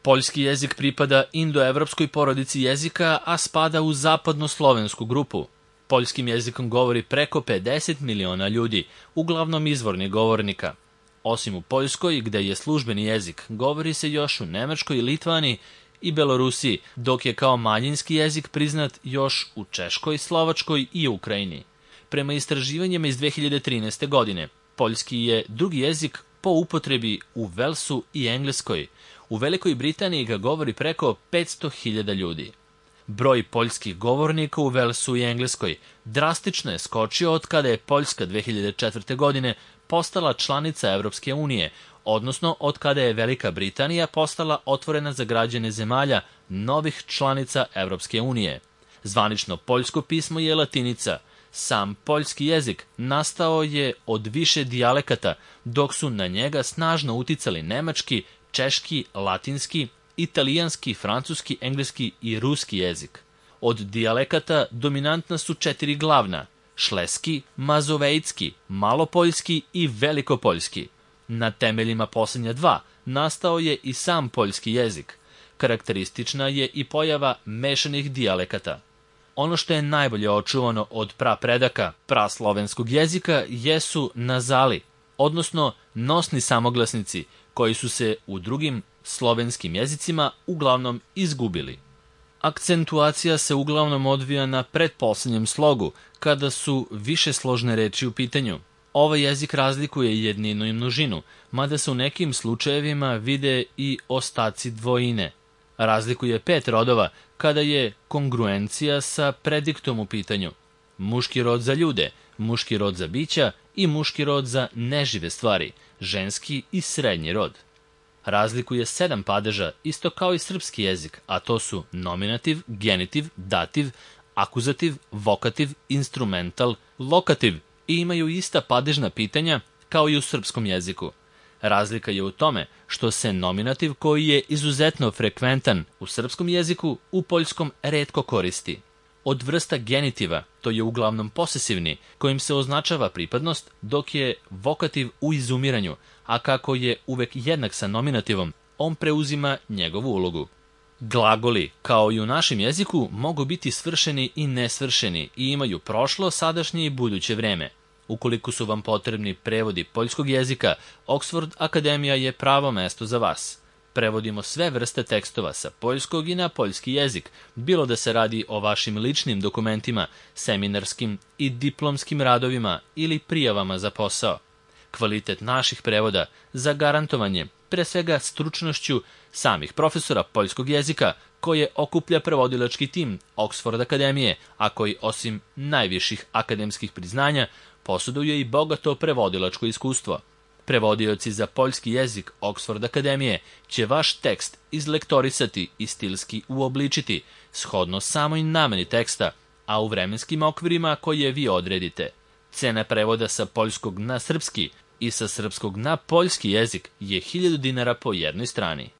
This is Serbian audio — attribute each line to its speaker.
Speaker 1: Poljski jezik pripada indoevropskoj porodici jezika, a spada u zapadnoslovensku grupu. Poljskim jezikom govori preko 50 miliona ljudi, uglavnom izvornih govornika. Osim u Poljskoj, gde je službeni jezik, govori se još u Nemačkoj, Litvani i Belorusiji, dok je kao manjinski jezik priznat još u Češkoj, Slovačkoj i Ukrajini. Prema istraživanjima iz 2013. godine, poljski je drugi jezik po upotrebi u Velsu i Engleskoj. U Velikoj Britaniji ga govori preko 500.000 ljudi. Broj poljskih govornika u Velsu i Engleskoj drastično je skočio od kada je Poljska 2004. godine postala članica Evropske unije, odnosno od kada je Velika Britanija postala otvorena za građane zemalja novih članica Evropske unije. Zvanično poljsko pismo je latinica. Sam poljski jezik nastao je od više dijalekata, dok su na njega snažno uticali nemački, češki, latinski, italijanski, francuski, engleski i ruski jezik. Od dijalekata dominantna su 4 glavna: šleski, mazovejski, malopoljski i velikopoljski. Na temeljima posljednja 2 nastao je i sam poljski jezik. Karakteristična je i pojava mešanih dijalekata. Ono što je najbolje očuvano od prapredaka praslovenskog jezika jesu nazali, odnosno nosni samoglasnici, koji su se u drugim slovenskim jezicima uglavnom izgubili. Akcentuacija se uglavnom odvija na pretposlednjem slogu, kada su višesložne reči u pitanju. Ovaj jezik razlikuje jedninu i množinu, mada se u nekim slučajevima vide i ostaci dvojine. Razlikuje 5 rodova, kada je kongruencija sa prediktom u pitanju. Muški rod za ljude, muški rod za bića i muški rod za nežive stvari, ženski i srednji rod. Razlikuje 7 padeža, isto kao i srpski jezik, a to su nominativ, genitiv, dativ, akuzativ, vokativ, instrumental, lokativ i imaju ista padežna pitanja kao i u srpskom jeziku. Razlika je u tome što se nominativ, koji je izuzetno frekventan u srpskom jeziku, u poljskom retko koristi. Od vrsta genitiva, to je uglavnom posesivni, kojim se označava pripadnost, dok je vokativ u izumiranju, a kako je uvek jednak sa nominativom, on preuzima njegovu ulogu. Glagoli, kao i u našem jeziku, mogu biti svršeni i nesvršeni i imaju prošlo, sadašnje i buduće vreme. Ukoliko su vam potrebni prevodi poljskog jezika, Oxford Akademija je pravo mesto za vas. Prevodimo sve vrste tekstova sa poljskog i na poljski jezik, bilo da se radi o vašim ličnim dokumentima, seminarskim i diplomskim radovima ili prijavama za posao. Kvalitet naših prevoda zagarantovan je pre svega stručnošću samih profesora poljskog jezika, koje okuplja prevodilački tim Oxford Akademije, a koji osim najviših akademskih priznanja posjeduje i bogato prevodilačko iskustvo. Prevodioci za poljski jezik Oxford Akademije će vaš tekst izlektorisati i stilski uobličiti, shodno samoj nameni teksta, a u vremenskim okvirima koje vi odredite. Cena prevoda sa poljskog na srpski i sa srpskog na poljski jezik je 1000 dinara po jednoj strani.